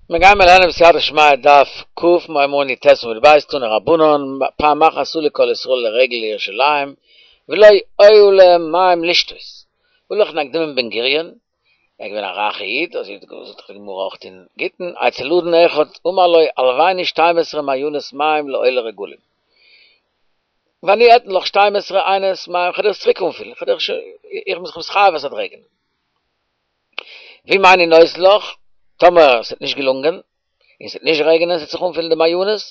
מיר גיימער לערנען בסייעתא דשמיא דף ק מיר הייבן אן י"ט עמוד ב' תנו רבנן פעם אחת עלו כל ישראל לרגל לירושלים ולא היו להם מים לשתות הלך נקדימון בן גוריון ער איז געווען א רייכע איד אזוי זאגט די גמרא אויך אין גיטין אצל אדון אחד אמר לו הלויני שתים עשרה מעיינות מים לעולי רגלים ואני אתן לך שתים עשרה עיינות מים כ'וועל דיר עס צוריק אנפילן כ'וועל דיר איך בין זיך מתחייב אז ס'וועט רעגענען. ואם איני נותן לך, טאמער עס וועט נישט געלונגען, און עס וועט נישט רעגענען, עס וועט זיך אנפילן די מעיינות,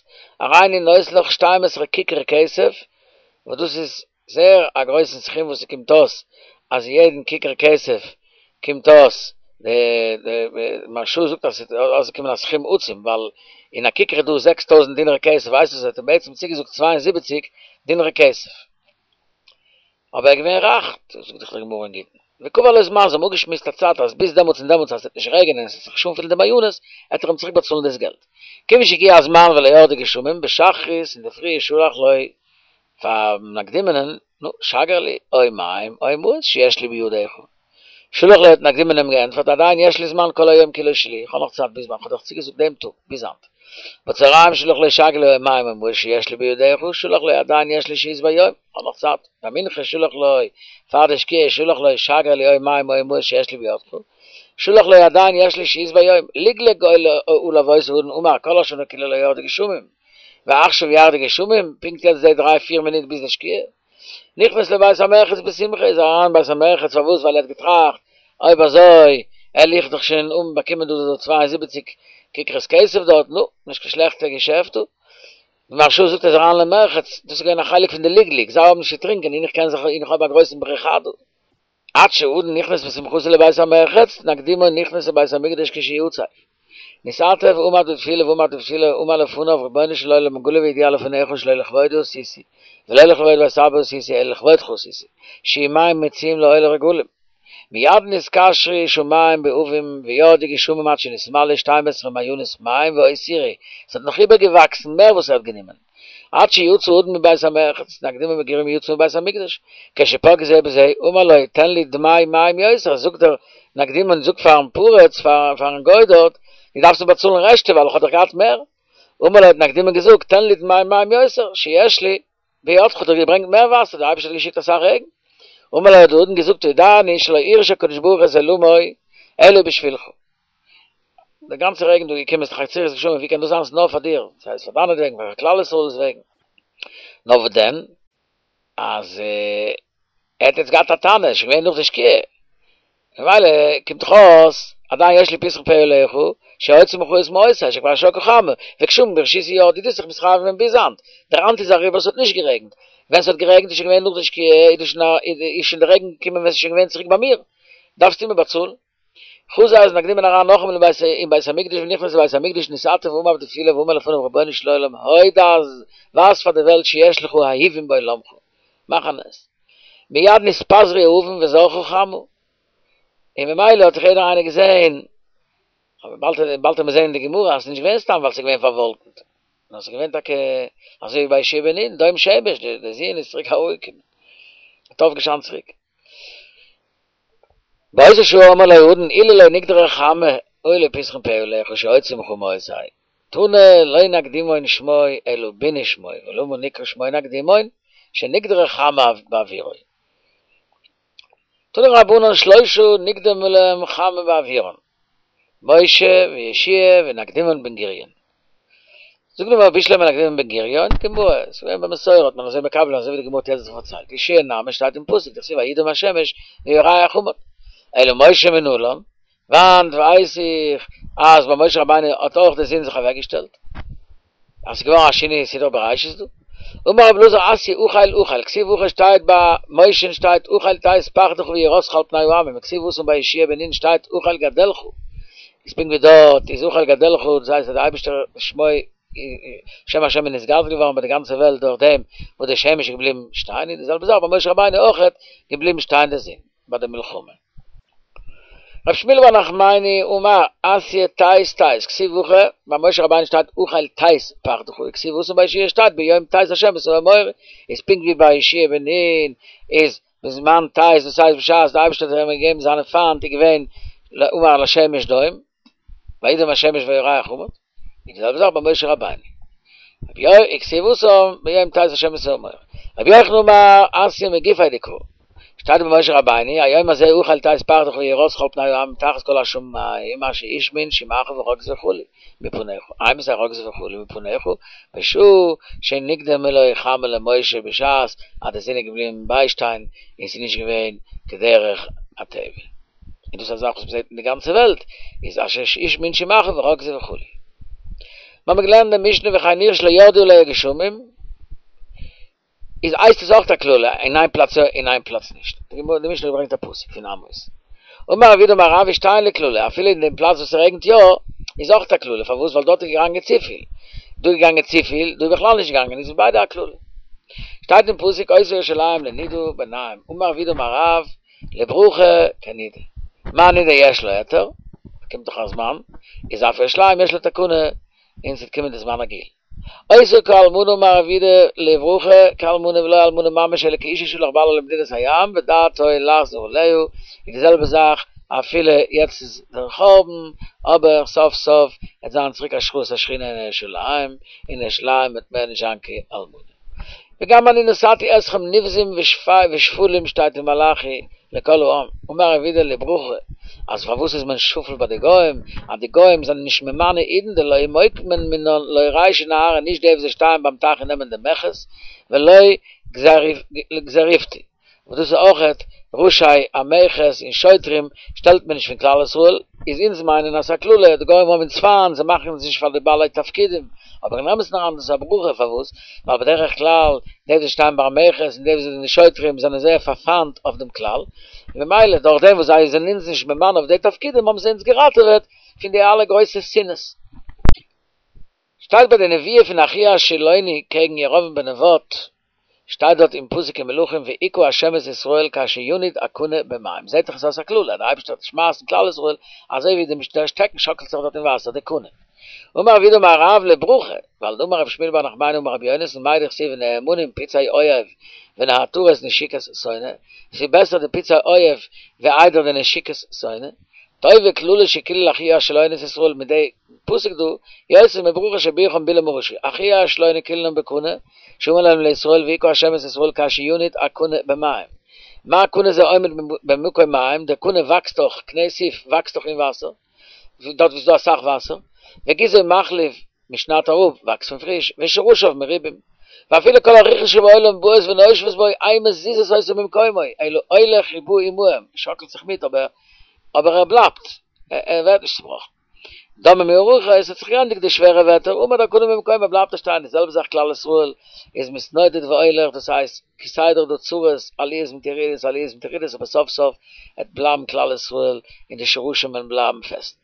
הריני נותן לך שתים עשרה כיכר כסף, וואס דאס איז זייער א גרויסן סכום וואס ס'קומט אויס, אז יעדן כיכר כסף קומט אויס, די מהרש"א זאגט אז ס'וועט אויסקומען א סכום עצום, ווייל אין א כיכר איז דא 6000 דינרי כסף, הייסט עס ער האט אים בעצם צוגעזאגט 72 דינרי כסף. אבער ער איז געווען רייך, זאגט דאך די גמרא אין גיטין, וקבע לו זמן, זיי האבן אפגעשמועסט א צייט אז ביז דעמאלטס און דעמאלטס אז עס וועט נישט רעגענען און עס וועט זיך נישט אנפילן די מעיינות, עט ער אים צוריק באצאלן דאס געלט. כיוון שהגיע הזמן ולא ירדו גשמים, בשחרית אינדערפרי שלח לו פאר נקדימונ'ען, נו, שגר לי, או מים או מעות שיש לי בידך. שלח לו האט נקדימון אים געענטפערט, עדיין יש לי זמן כל היום כולו שלי, איך האב נאך צייט ביז ווען כ'האב דיך צוגעזאגט דעם טאג, ביז היינט. בצהריים שלח לו שגר לי או מים או מעות שיש לי בידך, שלח לו עדיין יש לי שהות ביום, איך האב נאך צייט. במנחה שלח לו, פאר די שקיעה שלח לו שגר לי או מים או מעות שיש לי בידך, שלח לו עדיין יש לי שהות ביום, לגלג עליו אותו האדון אמר כל השנה כולה לא ירדו גשמים, ועכשיו ירדו גשמים, פונקט יעצט די דריי פיר מינוט ביז די שקיעה. נכנס לבית המרחץ בשמחה, איז ער אריין בית המרחץ, פארוואס? ווייל ער האט געטראכט, אויב אזוי, על איך דאך שוין אן באקומען דא די 72 כיכרות כסף דארט, נו, נישט קיין שלעכטע געשעפט דא. די מהרש"א זאגט ער איז אריין למרחץ, דאס איז געווען א חלק פון די לגלוג, זיי האבן נישט צו טרינקען און איך קען זיך, און איך האב א גרויסן בריכה דא. עד שהאדון נכנס בשמחתו לבית המרחץ, נקדימון נכנס לבית המקדש כשיצא. נתעטף ועמד בתפילה ועמד בתפילה אמר לפניו רבונו של עולם גלוי וידוע לפניך שלא לכבודי עשיתי ולא לכבוד בית אבא עשיתי אלא לכבודך עשיתי שיהיו מים מצויים לעולי רגלים מיד נתקשרו שמים בעבים וירדו גשמים עד שנתמלאו שתים עשרה מעיינות מים והותירו עס האט נאך איבערגעוואקסן מער וואס ער האט גענומען עד שיצא האדון מבית המרחץ, נקדימון בן גוריון יצא מבית המקדש, כשפגעו זה בזה, אמר לו, תן לי דמי מים יותר, זאגט דער נקדימון זאגט פארן פריץ, פארן גוי דארט, דו דארפסט מיר באצאלן רעשטע ווייל איך האב דאך געהאט מער. אמר לו האט נקדימון געזאגט, תן לי דמי מים יותר, שיש לי בידך, האט ער געברענגט מער וואסער, דער אייבערשטער האט געשיקט אסאך רעגן. אמר לו האט דער אדון געזאגט, יודע אני שלא הרעיש הקדוש ברוך הוא את עולמו אלא בשבילך. די גאנצע רעגן דא געקומען איז דאך עצירת גשמים, ווי קען דאס זיין ס'איז נאר פאר דיר, ס'הייסט פאר דיינעט וועגן, פאר כלל ישראל'ס וועגן. נאר וואס דען, אז ער האט יעצט געהאט א טענה, עס איז שוין געווען נאך די שקיעה, ממילא קומט דאך אויס, עדיין יש לי פתחון פה עליך, שהוציא ממך את מעותי, שכבר שקעה חמה, וגשמים ברשותי ירדו, דו האסט זיך מתחייב געווען ביז היינט, דער היינט איז אריבער, עס האט נישט גערעגנט, ווען ס'האט גערעגנט איז שוין געווען נאך די שקיעה, איז שוין די רעגן געקומען ווען ס'איז שוין געווען צוריק ביי מיר, דארפסטו מיר באצאלן. חזר איז נקדימון אריין נאכאמאל אין בית אין בית המקדש ונכנס לבית המקדש נתעטף ועמד בתפילה ואמר לפניו רבונו של עולם הודע ווייז פאר די וועלט שיש לך אהובים בעולמך מאך א נס מיד נתפזרו העבים וזרחה חמה און ממילא האט זיך יעדער איינער געזעהן אבער באלד באלד וועט מען זעהן אין די גמרא אז ס'איז נישט געווען סתם ווייל ס'איז געווען פארוואלקנט נאר ס'איז געווען טאקע אזוי ווי ביי יהושע בן נון דום שמש די זון איז צוריק אראפגעקומען האט אויפגעשיינט צוריק. באותה שעה אמר לו האדון אילו לא נקדרה חמה היה לי פתחון פה עליך שאוציא ממך מעותי. תנא לא נקדימון שמו אלא ביני שמו ולמה נקרא שמו נקדימון שנקדרה חמה בעבורו. תנו רבנן שלושה נקדמה להם חמה בעבורן משה ויהושע ונקדימון בן גוריון. זאגט די גמרא בשלמא נקדימון בן גוריון, גמרא, עס איז געווען במסורה האט מען אזוי מקבל אזוי ווי די גמרא האט יעצט פארציילט, יהושע נמי שטייט אין פסוק דכתיב וידום השמש וירח עמד, אלא משה מנלן, וואנעט ווייס איך אז ביי משה רבינו האט אויך די זון זיך אוועק געשטעלט, אז ס'איז געווארן א שינוי אין סדרה בראשית דא, אמר רבי אלעזר אתיא החל החל, כתיב הכא שטייט ביי משה'ן שטייט החל תת פחדך ויראתך על פני העמים, וכתיב התם ביי יהושע בן נון שטייט החל גדלך, איז פונקט ווי דארט איז החל גדלך, דאס הייסט אז דער אייבערשטער שמו שם השם איז נתגדל געווארן ביי די גאנצע וועלט דורך דעם וואס די שמש איז געבליבן שטיין, איז די זעלבע זאך ביי משה רבינו אויכעט געבליבן שטיין די זון ביי די מלחמה. רב שמואל בר נחמני אמר אתיא תת תת, כתיב הכא, ביי משה רבינו שטייט החל תת פחדך, וכתיב התם ביי יהושע שטייט ביום תת השם את האמורי, איז פונקט ווי ביי יהושע בן נון איז בזמן תת, דאס הייסט בשעת די אייבערשטער האט אים געגעבן זיינע פיינט איז געווען אמר לשמש דום. וידם השמש וירח עמד, און די זעלבע זאך ביי משה רבינו. רבי יוחנן וכתיב התם ביום תת השם את ההר. רבי יוחנן אמר אתיא מגופיה דקרא. שטייט ביי משה רבינו היום הזה אוכל תת פחדך ויראתך על פני העמים תחת כל השמים אשר השמין שמך ורגז וכו' מפניך אימתי רגזו וכו' מפניך בשעה שנקדמה לו חמה למשה בשעת אז די זון איז געבליבן ביישטיין און ס'איז נישט געווען כדרך הטבע. און דאס איז א זאך וואס מ'זעט אין די גאנצע וועלט, איז אשר השמין שמך ורגזו וכו'. מיר האבן געלערנט די משנה וכן עיר שלא ירדו עליה גשמים, איז הייסט עס אויך א קללה, אין איין פלאץ יא אין איין פלאץ נישט. די משנה ברענגט א פסוק פון עמוס. אמר רב יהודה אמר רב שתיהן לקללה, אפילו אין דעם פלאץ וואס ס'רעגנט יא, איז אויך א קללה, פארוואס? ווייל דארט איז געגאנגען צופיל. דא איז געגאנגען צופיל, דא איז בכלל נישט געגאנגען, איז ביידע א קללה. שטייט אין פסוק אותה ירושלים לנידה בנים, אמר רב יהודה אמר רב, לברכה כנידה. מה נידה יש לה היתר, קומט דאך א זמן, איז אף ירושלים יש לה תקנה, און ס'וועט קומען די זמן הגאולה. אותה כאלמנה אמר רב יהודה לברכה כאלמנה ולא אלמנה ממש אלא כאשה שהלך בעלה למדינת הים ודעתו לחזור אליה, איז די זעלבע זאך אפילו יעצט איז דער חורבן, אבער סוף סוף וועט זיין צוריק השראת השכינה אין ירושלים, און ירושלים וועט מער נישט זיין כאלמנה. וגם אני נתתי אתכם נבזים ושפלים שטייט אין מלאכי לכל העם, אמר רב יהודה לברכה, אז פארוואס איז מען שפל ביי די גוים, אז די גוים זענען נישט ממנה אידן דלא מוקמין מינן לא רישי נהרא נישט די וואס זיי שטייען ביים טייך און נעמען די מכס, ולא גזריפטי. וואס דאס איז אויכעט ראשי המכס און שוטרים שטעלט מען נישט פון כלל ישראל, איז אונז מיינען אז ס'איז א קללה, די גוים האבן אונז פיינט, זיי מאכן אונז נישט פאר די בעלי תפקידים, אבער אין אמת'ן אריין איז דאס א ברכה, פארוואס? ווייל בדרך כלל די וואס שטייען ביי המכס און די וואס זענען די שוטרים זענען זייער פארפיינט אויף דעם כלל, און ממילא דורך דעם וואס זיי זענען אונז נישט ממנה אויף די תפקידים האבן זיי אונז געראטעוועט פון די אלע גרויסע שנאות. שטייט ביי די נביאה פון אחיה השילוני קעגן ירבעם בן נבט, שטייט דארט אין פסוק אין מלכים והכה ה' את ישראל כאשר ינוד הקנה במים, זעהט דאך עס אויס א קללה, דער אייבערשטער וועט שמייסן כלל ישראל אזוי ווי דער שטעקן שאקלט זיך דארט אין וואסער, די קנה. אמר רב יהודה אמר רב לברכה, ווייל דאמר רבי שמואל בר נחמני אמר רבי יונתן מאי דכתיב ונאמנים פצעי אויב ונעתרות נשיקת שונא, עס איז בעסער די פצעי אויב ווי איידער די נשיקת שונא, טובה קללה שקילל אחיה השילוני את ישראל מיט די פסוק דא, יותר מברכה שבירכם בלעם הרשע, אחיה השילוני קיללם בקנה, שאמר להם לישראל והכה השם את ישראל כאשר ינוד הקנה במים. מה קנה זה עומד במקום מים, דער קנה וואקסט דאך, קנה סוף וואקסט דאך אין וואסער, דארט ווי ס'איז דא אסאך וואסער, וגזעו מחליף מ'שניידט אראפ, וואקסט פון פריש, ושרשיו מרובים. ואפילו כל הרוחות שבעולם באות ונושבות בו, אין מזיזות אותו ממקומו, אלא הולך ובא עמהם, שאקלט זיך מיט אבער אבער ער בלייבט, ער ווערט נישט צובראכן. דממו הרוחות, עס האט זיך געענדיגט די שווערע וועטער, עמד הקנה במקומו בלייבט ער שטיין, די זעלבע זאך כלל ישראל איז מתנודד והולך, דאס הייסט כסדר דא צרות, עליות מיט ירידות, עליות מיט ירידות, אבער סוף סוף עט בלייבן כלל ישראל און די שרשים וועלן בלייבן פעסט.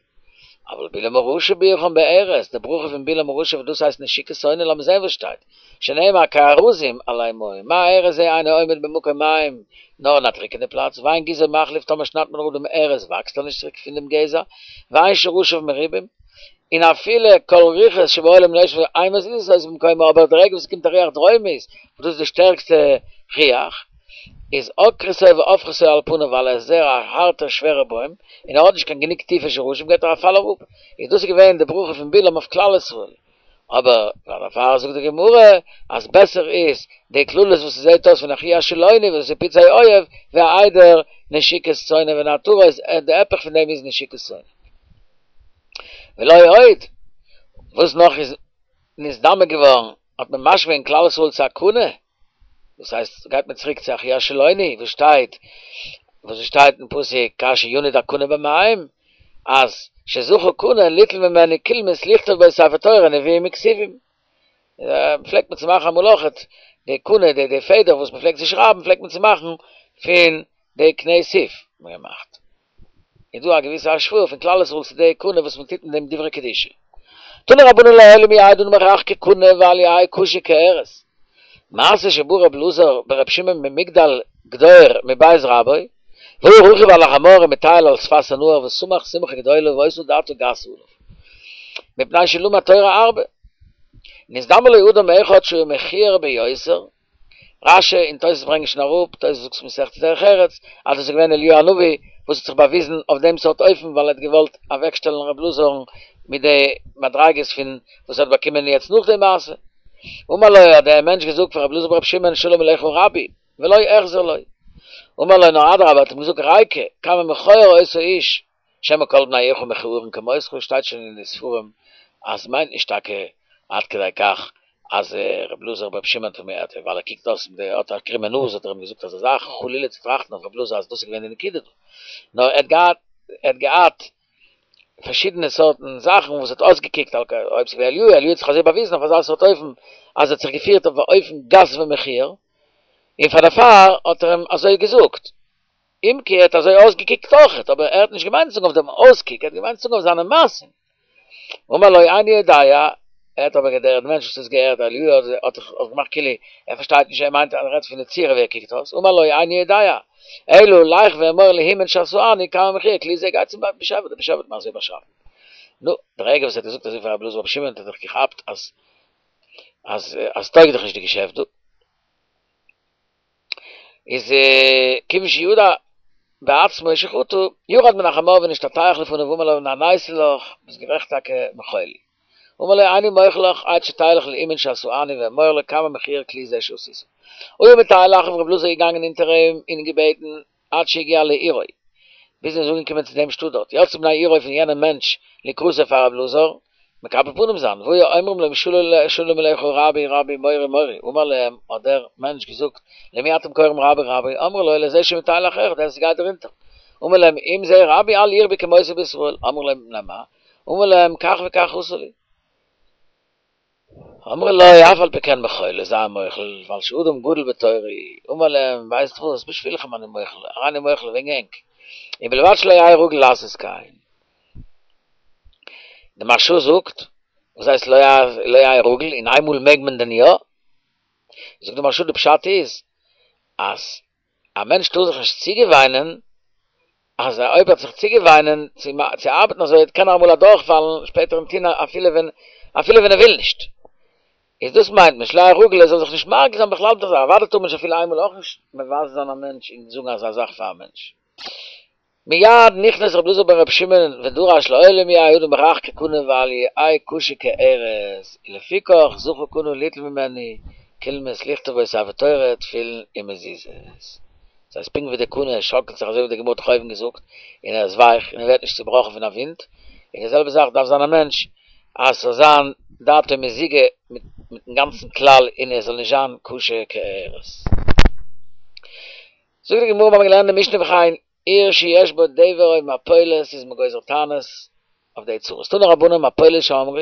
אבל בלעם הרשע בירכם בארז, די ברכה פון בלעם הרשע וואס דאס הייסט נשיקת שונא, לאמיר זען וואס שטייט, שנאמר כארזים עלי מים, מה ארז זה אינו עומד במקום מים, נאר אין א טריקענע פלאץ, ואין גזעו מחליף טאמער שניידט מען אראפ דעם ארז וואקסט ער נישט צוריק פון דעם גזע, ואין שרשיו מרובים, און אפילו כל רוחות שבעולם נושבות אין מזיזות אותו ממקומו, אבער די רגע וואס עס קומט א רוח דרומית, וואס דאס איז די שטערקסטע רוח, איז עוקרתו והופכתו על פניו ווייל ער איז זייער א הארטער שווערער בוים, און ער האט נישט קיין גענוג טיפע שרשים גייט ער א פאל אראפ, איז דאס איז געווען די ברכה פון בלעם אויף כלל ישראל, אבער דערפאר זאגט די גמרא אז בעסער איז די קללות וואס ס'זעט אויס פון אחיה השילוני וואס איז פצעי אויב ווי איידער נשיקת שונא ונעתרות די היפך פון דעם איז נשיקת שונא. ולא עוד, וואס נאך איז נתדמה געווארן האט מען משווה געווען כלל ישראל צו א קנה, דאס הייסט גייט מען צוריק צו אחיה השילוני וואס שטייט וואס עס שטייט אין פסוק כאשר ינוד הקנה במים אז שזכה קנה ליטול ממנו קולמוס לכתוב בו ספר תורה נביאים וכתובים פלעגט מען צו מאכן אמאל אויכעט די קנה די די פעדער וואס מען פלעגט צו שרייבן פלעגט מען צו מאכן פון די קנה סוף מען געמאכט איז דא א געוויסע השוואה פון כלל ישראל צו די קנה וואס מען טוט אין דעם דברי קדושה. תנו רבנן לעולם יהא אדם רך כקנה ואל יהא קשה כארז. מעשה שבא רב אלעזר ברב שמעון ממגדל גדור מבית רבו, והוא רכוב על החמור ומטייל על שפת הנהר ושמח שמחה גדולה והיתה דעתו גסה עליו. מפני שלמד תורה הרבה. נזדמן לו אדם אחד שהוא מכוער ביותר, רש"י און תוס' ברענגען שוין אראפ, תוס' זאגט מסכת דרך ארץ, אז דאס איז געווען אליהו הנביא. וואס האט זיך באוויזן אויף דעם סארט אופן ווייל ער האט געוואלט אוועקשטעלן רב אלעזר'ן מיט די מדריגות פון וואס ער האט באקומען יעצט נאך די מעשה. אמר לו האט דער מענטש געזאגט פאר רב אלעזר ברב שמעון שלום עליך רבי, ולא החזיר לו. אמר לו נאר אדרבה האט אים געזאגט ריקא, כמה מכוער אותו איש, שמא כל בני עירך מכוערין כמותך, שטייט שוין אין די ספרים אז מיינט נישט טאקע עד כדי כך אז ר' אלעזר בר' שמעון האט אים ווייל ער קוקט אויס מיט די האט א קרומע נאז האט ער אים געזאגט אזא זאך, חלילה צו טראכטן אויף ר' אלעזר אז דאס איז געווען די נקודה דא, נאר ער האט געהאט ער האט געהאט פארשידענע סארטן זאכן וואס האט אויסגעקוקט אויב ס'איז געווען אליהו, אליהו האט זיך אזוי באוויזן אויף אזא סארט אופן אז ער האט זיך געפירט אויף א אופן גס ומכוער, און פאר דערפאר האט ער אים אזוי געזאגט. אם כי ער האט אזוי אויסגעקוקט אויכעט, אבער ער האט נישט געמיינט צו זאגן אויף דעם אויסקוק, ער האט געמיינט צו זאגן אויף זיינע מעשים. אמר לו איני יודע, ער האט אבער דער מענטש וואס האט געהערט אליהו האט זיך געמאכט כאילו ער פארשטייט נישט ער מיינט אז ער רעדט פון די צורה ווי ער קוקט אויס, אמר לו איני יודע, אלא לך ואמור להוא מן שעשאני כמה מכוער כלי זה גיי צום באשעפער, דער באשעפער האט מיר אזוי באשאפן. נו, די רגע וואס ער האט געזאגט אזוי פאר רבי אלעזר ברבי שמעון האט ער זיך געכאפט אז אז אז טויג דאך נישט די געשעפט דא. איז כיוון שידע בעצמו שחטא, ירד מן החמור ונשתטח לפניו ואמר לו נעניתי לך, ביסט גערעכט טאקע מחול לי. אמר לו איני מוחל לך עד שתלך להוא מן שעשאני ואמור לו כמה מכוער כלי זה שעשית. היה מטייל אחריו רב אלעזר איז געגאנגען אונטער אים און געבעטן עד שהגיע לעירו, ביז ער איז אנגעקומען צו דעם שטאט דארט, יצאו בני עירו פון יענעם מענטש לקראתו פאר רב אלעזר, מקבל פנים זיין, והיו אומרים לו שלום עליך רבי רבי מורי מורי, אמר להם, האט דער מענטש געזאגט, למי אתם קוראים רבי רבי, אמרו לו לזה שמטייל אחריך, דער וואס גייט דיר אונטער, אמר להם, אם זה רבי אל ירבי כמותו בישראל, אמרו לו מפני מה, אמר להם, כך וכך עשה לי. אמרו לו, אף על פי כן מחול לו, זיי מוחל, ווייל שאדם גדול בתורה הוא, אמר להם, ווייסט וואס, בשבילכם אני מוחל, הרי אני מוחל וועגן ענק, ובלבד שלא יהא רגיל לעשות כן. די מהרש"א זאגט, וואס הייסט לא יהא רגיל, און איינמאל מעג מען דען יא? זאגט די מהרש"א די פשט איז, אז א מענטש טאר זיך נישט צוגעוויינען, אז אויב ער וועט זיך צוגעוויינען צו ארבעטן אזוי קען ער אמאל אדורכפאלן שפעטער און טון אפילו ווען אפילו ווען ער וויל נישט. איז דאס מיינט מען שלא יהא רגיל ער זאל זיך נישט מרגיל זיין בכלל מיט אזא אוודאי טאר מען נישט אפילו איינמאל אויך נישט מבזה זיין א מענטש און זאגן אזא זאך פאר א מענטש. מיד נכנס רבי אלעזר בן רבי שמעון ודרש לעולם יהא אדם רך כקנה ואל יהא קשה כארז, ולפיכך זכה קנה ליטול ממנו קולמוס לכתוב בו ספר תורה תפילין ומזוזות. דאס הייסט פונקט ווי די קנה שאקלט זיך אזוי ווי די גמרא האט דאך אויבן געזאגט, און ער איז ווייך און ער ווערט נישט צובראכן פון א ווינט, און די זעלבע זאך דארף זיין א מענטש אז ס'זאל זיין דעתו מזוגה מיטן גאנצן כלל און ער זאל נישט זיין קשה כארז. זאגט די גמרא מיר האבן געלערנט די משנה וכן עיר שיש בה דבר או מפולת איז מען גוזר תענית אויף די צרות. תנו רבנן מפולת שאמרו,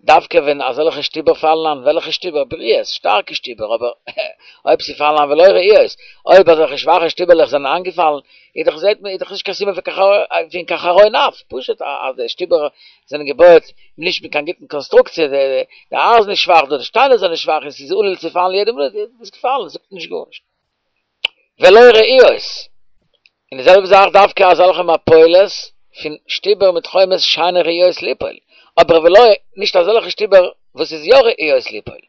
דווקא ווען אזעלכע שטיבער פאלן איין, וועלכע שטיבער? בריאות, שטארקע שטיבער, אבער אויב ס'פאלן איין ולא רעועות, אויב אזעלכע שוואכע שטיבערלעך זענען איינגעפאלן, איז דאך זעט מען איז דאך נישט קיין סימן פון קיין חרון אף, פשוט אז די שטיבער זענען געבויעט נישט מיט קיין גוטן קאנסטרוקציע, די אייזן איז שוואך, די שטיינער זענען שוואך און ס'איז עלול צו פאלן יעדע מינוט, איז געפאלן, זאגט נישט גארנישט. ולא רעועות, און די זעלבע זאך דווקא אזעלכע מפולת פון שטיבער מיט חומות שאינן ראויות ליפול, אבער ולא, נישט אזעלכע שטיבער וואס איז יא ראויות ליפול,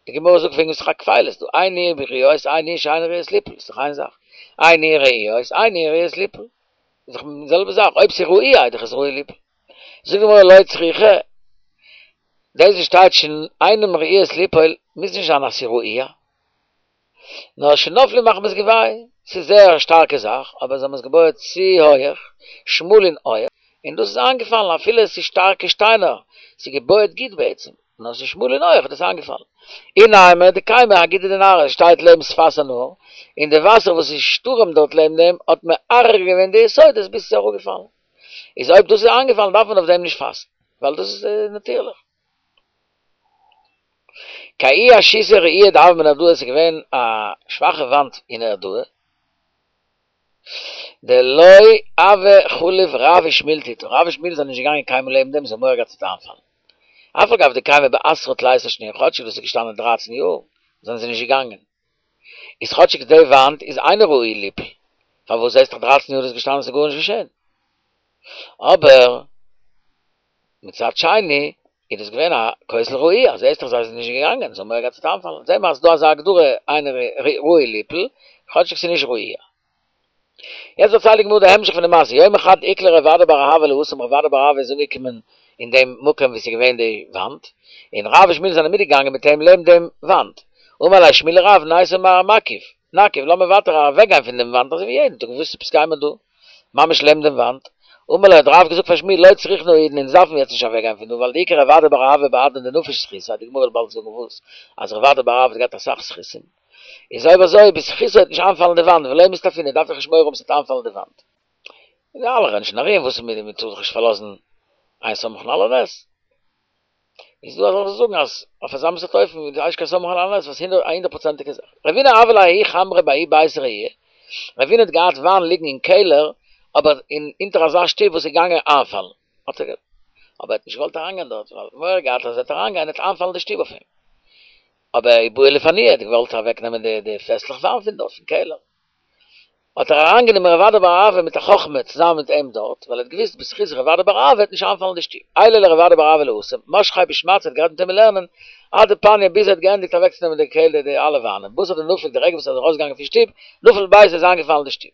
די גמרא זאגט וועגן ס'איז דאך א כפילות דא, הן ראויות הן שאינן ראויות ליפול, איז דאך איין זאך, הן ראויות הן ראויות ליפול, איז דאך די זעלבע זאך, אויב ס'איז ראויה איז דאך עס ראוי ליפול. זאגט די גמרא לא צריכא, דאס וואס שטייט שאינן ראויות ליפול מוז נישט זיין אז ס'איז ראויה. נאר שנפלו מחמת גבהן, ס'איז זייער א שטארקע זאך, אבער זיי האבן עס געבויעט צו הויעך, שמאל און הויעך, און דאס איז איינגעפאלן אפילו עס איז שטארקע שטיינער, ס'איז געבויעט גוט בעצם, נאר ס'איז שמאל און הויעך איז דאס איינגעפאלן. אי נימא דקיימא אגודא דנהרא, עס שטייט לעבן שפת הנהר, און די וואסער וואס איז שטורעמט דארט לעבן דעם האט מערער געווען די יסודות ביז ס'איז אראפגעפאלן. איז אויב דאס איז איינגעפאלן דארף מען אויף דעם נישט פאסטן, ווייל דאס איז נאטירליך. כי ההיא אשיתא רעועה דהוה בנהרדעא עס איז געווען א שוואכע וואנט אין נהרדעא, דלא הוו חליף רב ושמואל תיתה, רב און שמואל זענען נישט געגאנגען קיינמאל לעבן דעם, זיי האבן מורא געהאט ס'וועט איינפאלן. אף על גב דקיימא בעשרה תליסר שני, כאטשיג דאס איז געשטאנען דרייצן יאר, זענען זיי נישט געגאנגען. איז כאטשיג די וואנט איז אינה ראויה ליפול, פארוואס זעסט דאך דרייצן יאר איז געשטאנען ס'איז גארנישט געשען. אבער מצד שני איז דאס געווען א כותל רעוע, זעסט דאך זיי זענען נישט געגאנגען, זיי האבן מורא געהאט ס'וועט איינפאלן, זעהן מיר אז ס'דא אזא הגדרה אינה ראויה ליפול, כאטשיג ס'איז נישט רעוע. יעצט דערציילט די גמרא די המשך פון די מעשה, יומא חד איקלע רב אדא בר אהבה להתם, רב אדא בר אהבה איז אנגעקומען אין דעם מקום וואו ס'איז געווען די וואנט, און רב ושמואל זענען מיטגעגאנגען מיט אים לעבן דעם וואנט, אמר ליה שמואל לרב ניתו מר מקיף, נקיף, לאמיר ווייטער אוועקגיין פון דעם וואנט אזוי ווי יעדן טאג, וואס עפעס גייען מיר דא ממש לעבן דעם וואנט? אמר ליה האט רב געזאגט פאר שמואל לא צריכנא האידנא אונז דארפן יעצט נישט אוועקגיין פון דא ווייל דאיכא רב אדא בר אהבה בהדן דנפיש זכותיה, די גמרא וועט באלד זאגן וואס, אז רב אדא בר אהבה האט געהאט אסאך זכותים. איז אויב אזוי בזכותו וועט נישט איינפאלן די וואנט ולא מסתפינא דארף איך נישט מורא האבן ס'וועט איינפאלן די וואנט. און אלע רעדן שוין ארום וואס איז מיט די מ'טאר זיך נישט פארלאזן אין סומכין על הנס. איז דא אזעלכע וואס זאגן אז אויף אזא מין סארט אופן איז נישט קיין סומכין על הנס וואס א הונדערט פראצענטיגע זאך. רבינא הוה ליה ההוא חמרא בההוא ביתא רעיעא, רבינא האט געהאט וויין ליגן אין קעלער אבער אין אונטער אזא שטוב וואס איז געגאנגען איינפאלן האט ער אבער ער האט נישט געוואלט אריינגיין דארט ווייל מורא געהאט אז ער וועט אריינגיין וועט איינפאלן די שטוב אויף אים. אבער ובעי לפנויי האט געוואלט אוועק נעמען די די פעסלעך וויין פון דארט פון קעלער, האט ער אריין גענומען רב אדא בר אהבה מיט א חכמה צוזאמען מיט אים דארט, ווייל ער האט געוויסט בזכות רב אדא בר אהבה וועט נישט איינפאלן די שטוב, עייליה לרב אדא בר אהבה להתם, משכיה בשמעתא האט גערעדט מיט אים אין לערנען, עד דפניא ביז ער האט געענדיגט אוועק צו נעמען די קעלער די אלע וויינען, בתר דנפק די רגע וואס ער איז ארויס געגאנגען פון שטוב, נפל ביתא איז איינגעפאלן די שטוב.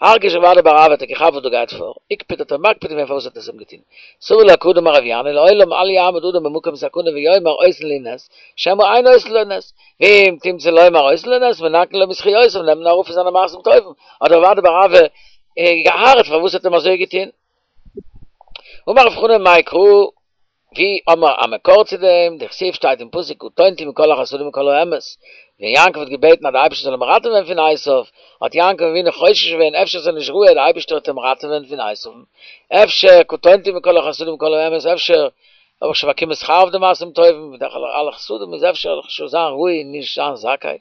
הרגיש רב אדא בר אהבה האט ער געכאפט וואס דא גייט פאר, איקפד האט ער מקפיד געווען פארוואס האט ער עס אים געטון. סבר לה כדאמר רב ינאי לעולם אל יעמוד אדם במקום סכנה ויאמר עושין לי נס, שמא אין עושין לו נס, ואם תמצא לומר עושין לו נס, מנכין לו מזכיותיו נעמט מען אראפ פון זיינע מעשים טובים, האט רב אדא בר אהבה געארט פארוואס האט אים אזוי געטון. אמר רב חנן מאי קרא ווי האמער א מקור צו דעם, דכתיב שטייט אין פסוק קטונתי מכל החסדים ומכל האמת, ווען יעקב האט געבעטן אז די אייבערשטער זאל אים ראטעווען פון עשיו, האט יעקב אבינו חושש געווען אפשר איז ער נישט ראוי אז די אייבערשטער וועט אים ראטעווען פון עשיו'ן, אפשר קטונתי מכל החסדים ומכל האמת, אפשר האב איך שוין באקומען שכר אויף די מעשים טובים, בדרך כלל אלע חסדים איז אפשר וועל איך שוין זיין ראוי און נישט זיין זכאי.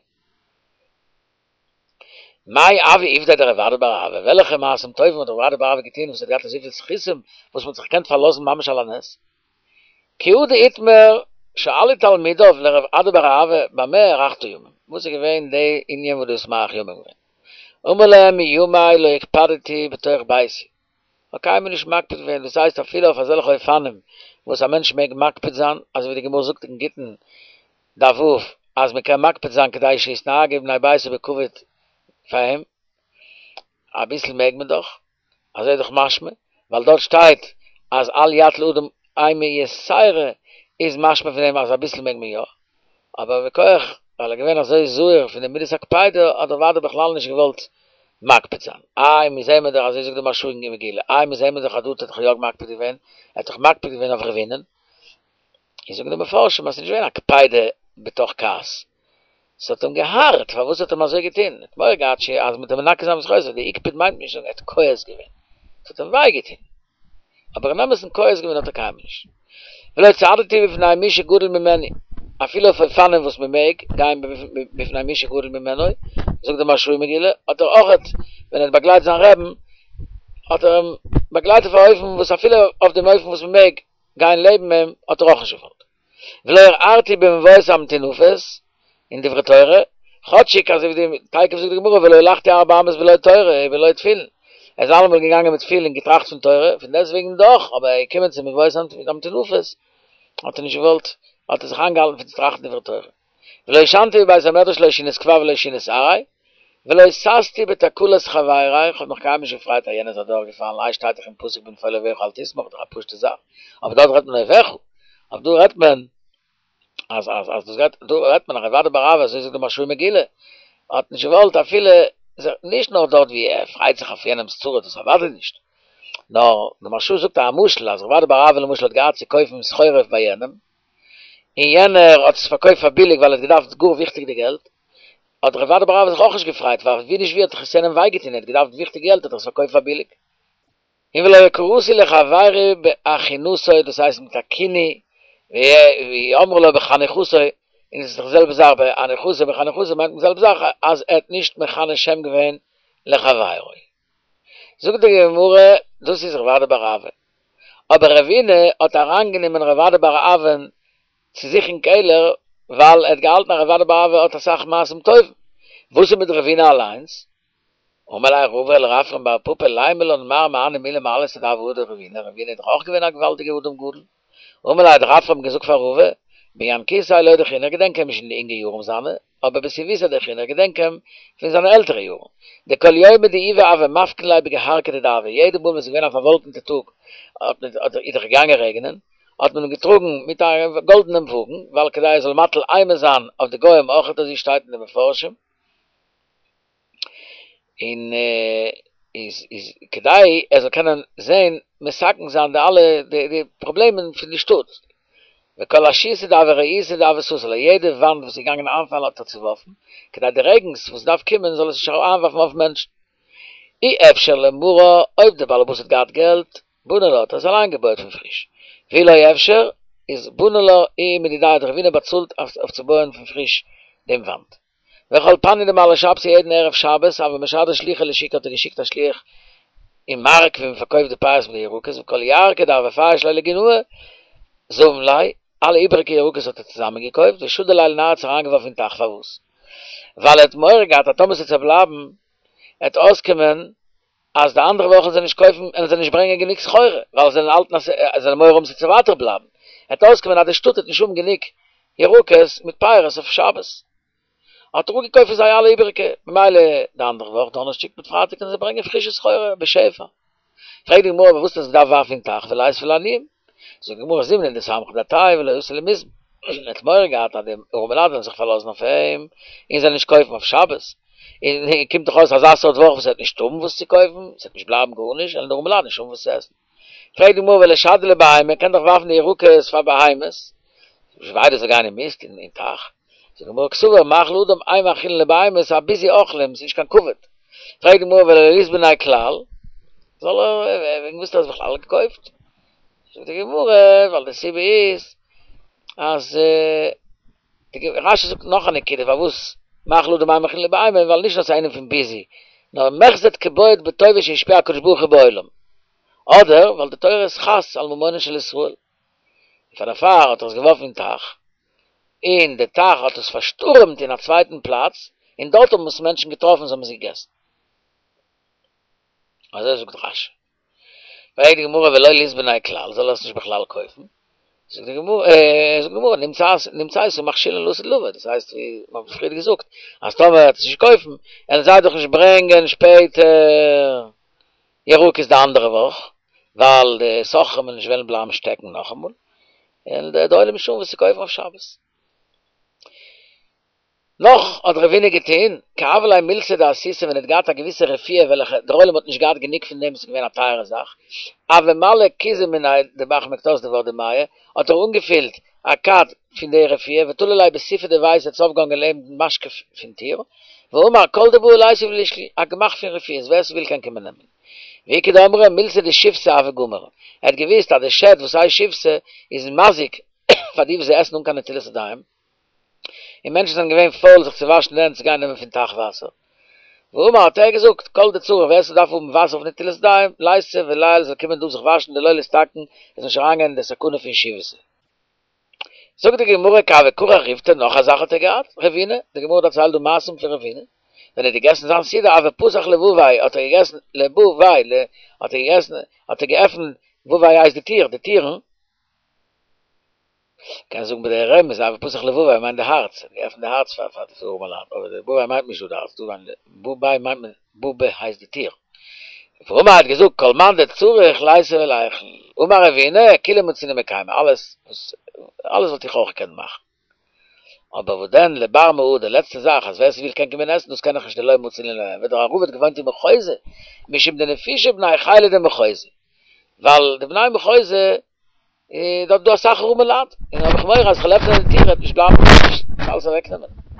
מאי הוה עובדיה דרב אדא בר אהבה, וועלכע מעשים טובים האט רב אדא בר אהבה געטון וואס האט געהאט אזויפיל זכותים וואס מ'האט זיך געקענט פארלאזן ממש על הנס? כי הא דאיתמר שאלו תלמידיו לרב אדא בר אהבה במה הארכת ימים, וואס איז געווען די ענין וואס דו האסט מאריך ימים געווען? אמר להם מימי לא הקפדתי בתוך ביתי, כ'האב קיינמאל נישט מקפיד געווען, דאס הייסט אפילו אויף אזעלכע אופנים וואס א מענטש מעג מקפיד זיין, אזוי ווי די גמרא זאגט אין גיטין דף ו' אז מען קען מקפיד זיין כדי שיתנהגו בני ביתו בכבוד פאר אים, אביסל מעג מען דאך, אזוי איז דאך משמע, ווייל דארט שטייט אז אל יטיל אדם אימה יתירה איז משמע פון דעם אז אביסל מעג מען יא, אבער מכח ווייל ער איז געווען אזוי זהיר פון די מידת הקפידה האט ער אוודאי בכלל נישט געוואלט מקפיד זיין. איי מיר זעהן מיר דאך אזוי זאגט די מהרש"א אין מגילה, איי מיר זעהן מיר דאך אז דא האט ער דאך יא מקפיד געווען, ער האט דאך מקפיד געווען אויף רבינ'ען, און זאגן די מפרשים אז ס'איז נישט געווען א קפידה בתוך כעס, ס'האט אים געהארט פארוואס האט אים אזוי געטון, ער האט מורא געהאט ש אז מ'וועט אים מנכה זיין מזכויותיו, די הקפיד מיינט נישט זאגן ער האט כועס געווען, ס'האט אים וויי געטון, אבער אין אמת'ן כועס געווען האט ער קיינמאל נישט. ולא צעדתי בפני מי שגדול ממני, אפילו אויף אופנים וואס מ'מעג גיין בפני מי שגדול ממנו, זאגט די מהרש"א אין מגילה, האט ער אויכעט ווען ער האט באגלייט זיין רעבן, האט ער אים באגלייט אויף א אופן וואס אפילו אויף דעם אופן וואס מ'מעג גיין לעבן אים האט ער אויך נישט געוואלט. ולא הרהרתי במבואות המטונפות, אין דברי תורה, כאטשיג אזוי ווי די תיכף זאגט די גמרא ולא הלכתי ארבע אמות בלא תורה ובלא תפילין, ער איז אלעמאל געגאנגען מיט תפילין און געטראכט פון תורה, פון דעסטוועגן דאך, אבער ער איז געקומען צו מבואות המטונפות, האט ער נישט געוואלט, האט ער זיך איינגעהאלטן פון צו טראכטן דברי תורה. ולא ישנתי בבית המדרש לא שינת קבע ולא שינת עראי, ולא ששתי בתקלת חברי, איך האב מיך קיינמאל נישט געפרייט אז יענער איז אדורכגעפאלן, איי שטייט דאך אין פסוק בנפול אויביך אל תשמח, דאך א פשוטע זאך, אבער דארט רעדט מען אויביך, אבער דא רעדט מען אז אז אז דאס גייט, דא רעדט מען רב אדא בר אהבה, אזוי זאגט די מהרש"א אין מגילה, האט נישט געוואלט אפילו, נישט נאר דארט ווי ער פרייט זיך אויף יענעמ'ס צרה, דאס אוודאי נישט, נאר די מהרש"א זאגט א משל אז רב אדא בר אהבה למשל האט געהאט צו קויפן סחורה ביי יענעם, און יענער האט עס פארקויפט פאר ביליג ווייל ער האט געדארפט גאר וויכטיג די געלט, האט רב אדא בר אהבה זיך אויך נישט געפרייט, ווייל ווי נישט ווי האט דאך עס יענעם וויי געטון, ער האט געדארפט וויכטיג געלט האט ער עס פארקויפט פאר ביליג. און ולא קראתי לחבירי באחינותו, דאס הייסט מיט א כינוי, ואי אמרו לו בחניכותו, און עס איז דאך די זעלבע זאך, באניחותו בחניכותו מיינט מען די זעלבע זאך, אז ער האט נישט מכנה שם געווען לחבירו. זאגט די גמרא, דאס איז רב אדא בר אהבה. אבער רבינא האט אריינגענומען רב אדא בר אהבה'ן צו זיך אין קעלער, ווייל ער האט געהאלטן אז רב אדא בר אהבה האט אסאך מעשים טובים. וואס איז מיט רבינא אליינס? אמר ליה רבא לרפרם בר פפא לימא לן מר מהני מילי מעלתא דהוה הדר רבינא, רבינא איז דאך אויך געווען א געוואלדיגער אדם גדול. אמר ליה האט רפרם געזאגט פאר רבא, בינקותיה לא דכינא, איך געדענק אים נישט אין די אינגע יארן זיינע. אבער בסיבותא דאחרינא, איך געדענק אים פון זיינע עלטערע יארן, דכל יומא דאיבא הוה מפקין ליה בגהרכא דדהבא, יעדע מאל ווען ס'איז געווען א פארוואלקענטע טאג האט מען איז דאך געגאנגען רעגענען, האט מען אים געטראגן מיט א גאלדענעם וואגן, ווייל כדי ער זאל מטיל אימה זיין אויף די גוים אויכעט אזוי שטייט אין די מפרשים. און איז איז כדי ער זאל קענען זען מתקן זיין די אלע די די פראבלעמען פון די שטאט, וכל אשיתא דהוה רעיעתא דהוה סתר לה, יעדע וואנט וואס איז געגאנגען איינפאלן האט ער צוווארפן, כדי די רעגנס וואס דארף קומען זאל עס נישט איינווארפן אויף מענטשן. אי אפשר ליה מרא, אויב דער באלעבאס האט געהאט געלט, בנה לה, האט ער עס אליין געבויעט פון פריש. ואי לא אפשר, איז בנה לה איהו מדידיה האט רבינא באצאלט אויף צו בויען פון פריש דעם וואנט. וכל פניא דמעלי שבתא יעדן ערב שבת הוה משדר שליחא לשוקא האט ער געשיקט א שליח אין מארק ווי מען פארקויפט די פירות מיט די ירקות וכל ירקא דהוה פייש ליה לגינאי זבין ליה אלע איבעריגע ירקות האט ער צוזאמען געקויפט ושדי ליה לנהרא האט עס אריינגעווארפן אין טייך פארוואס ווייל ער האט מורא געהאט אז טאמער ס'וועט פארבלייבן עט אויסקומען אז די אנדערע וואכן זיי נישט קויפן און זיי נישט ברענגען גענוג סחורה ווייל זיי זענען האלטן אז זיי זענען מורא האבן ס'וועט ווייטער בלייבן עט אויסקומען אז די שטאט וועט נישט האבן גענוג ירקות מיט פירות אויף שבת. האט ער אפגעקויפט פון זיי אלע איבעריגע, ממילא די אנדערע וואך דאנערשטאג מיט פרייטאג קענען זיי ברענגען פרישע סחורה בשפע. פרעגט די גמרא אבער וואס האט ער עס געדארפט ווארפן אין טייך וליתביה לעניים? זאגט די גמרא זימנין דסמכא דעתייהו ולא אתו למיזבן. ער האט מורא געהאט אז די ארעמע לייט וועלן זיך פארלאזן אויף אים און זיי נישט קויפן אויף שבת, און קומט דאך אויס אזא סארט וואך וואס ער וועט נישט האבן וואס צו קויפן, עס וועט נישט בלייבן גארנישט, וועלן די ארעמע לייט נישט האבן וואס צו עסן. פרעגט די גמרא ולישדייה לבהמה, מ'קען דאך ווארפן די ירקות פאר בהמות, ווי איידער ס'זאל גיין אין מיסט אין טייך, זאגט די גמרא קסבר מאכל אדם אין מאכילין לבהמות א ביזוי אוכלים, ס'איז נישט קיין כבוד, פרעגט די גמרא ולא ליזבניה כלל, זאל ער, וועגן וואס האט ער עס בכלל געקויפט? זאגט די גמרא ווייל די סיבה איז אז רש"י זאגט נאך א נקודה פארוואס מאכל אדם אין מאכילין לבהמה, ווייל נישט נאר ס'איז א ענין פון ביזוי, נאר מחזי קבעט בטובה שהשפיע הקדוש ברוך הוא בעולם, אדער ווייל די תורה איז חס על ממונן של ישראל, און פאר דערפאר האט ער עס געווארפן אין טייך, און די טייך האט עס פארשטורעמט אין א צווייטן פלאץ, און דארט האבן עס מענטשן געטראפן און זיי האבן עס געגעסן. אזוי זאגט רש"י. פרעגט די גמרא ולא ליזבניה כלל, זאל ער עס נישט בכלל קויפן? זאגט די גמרא, זאגט די גמרא, נמצאת מכשילן לעתיד לבוא, דאס הייסט ווי מ'האט פריער געזאגט, אז טאמער ער וועט עס נישט קויפן, וועלן זיי דאך נישט ברענגען שפעטער ירקות די אנדערע וואך, ווייל די סוחרים וועלן נישט וועלן בלייבן שטעקן נאכאמאל, און די עולם נישט האבן וואס צו קויפן אויף שבת. נאך האט רבינא געטוהן, כי הוה ליה מילתא דאסותא ווען ער האט געהאט א געוויסע רפואה וועלכע דער עולם האט נישט געהאט גענוג פון דעם, עס איז געווען א טייערע זאך, הוה מלי כוזא מיניה דבר מחתא דבר דמיא, האט ער אנגעפילט א כד פון די רפואה ותלי ליה בסיפא דביתא האט עס אויפגעהאנגען לעבן דעם משקוף פון טיר, ואמר כל דבעי ליתיב ולישקול, א גמ"ח פון רפואות, ווער ס'וויל קען קומען נעמען. ואיכא דאמרי מילתא דשיבתא הוה גמר, ער האט געוואוסט אז די שד וואס הייסט שיבתא איז מזיק פאר די וואס זיי עסן אן קיין נטילת ידיים, און מענטשן זענען געווען פויל זיך צו וואשן די הענט צו גיין נעמען פון טייך וואסער. ואמר האט ער געזאגט, כל דצריך ווער ס'דארף האבן וואסער אויף נטילת ידיים, ליתיב וליעול זאל קומען דא זיך וואשן דלא ליסתכן, ער זאל נישט אריינגיין אין די סכנה פון שיבתא. זאגט די גמרא כי הוה כרע ריפתא, נאך א זאך האט ער געהאט, רבינא, די גמרא דערציילט דא מעשים פון רבינא, ווען ער האט געגעסן זיין סעודה הוה פתח לבביה האט ער געגעסן לבביה האט ער געגעסן האט ער געעפנט בביה הייסט די טיר די טירן, קען זאגן בדרך רמז הוה פתח לבביה מיינט די הארץ, ער האט געעפנט די הארץ פאר פאר די ארעמע לייט, אבער די בביה מיינט נישט דא די הארץ, דא מיינט בביה מיינט מען בבא הייסט די טיר. ואמר האט געזאגט כל מאן דצריך ליתיב וליכול, אמר רבינא כולהו מצינא מקיימא, אלעס וואס אלעס וואלט איך אויך געקענט מאכן, אבער וואס דען לבר מהא די לעצטע זאך אז ווער ס'וויל קען קומען עסן דאס קען איך נישט דלא מצינא למעבד דער רב האט געוואוינט אין מחוזא משום דנפישי בני חילא דמחוזא ווייל די בני מחוזא איז דארט דא אסאך ארעמע לייט, און האב איך מורא אז כ'וועל עפענען די טיר וועט נישט בלייבן גארנישט, וועט אלעס אוועקנעמען.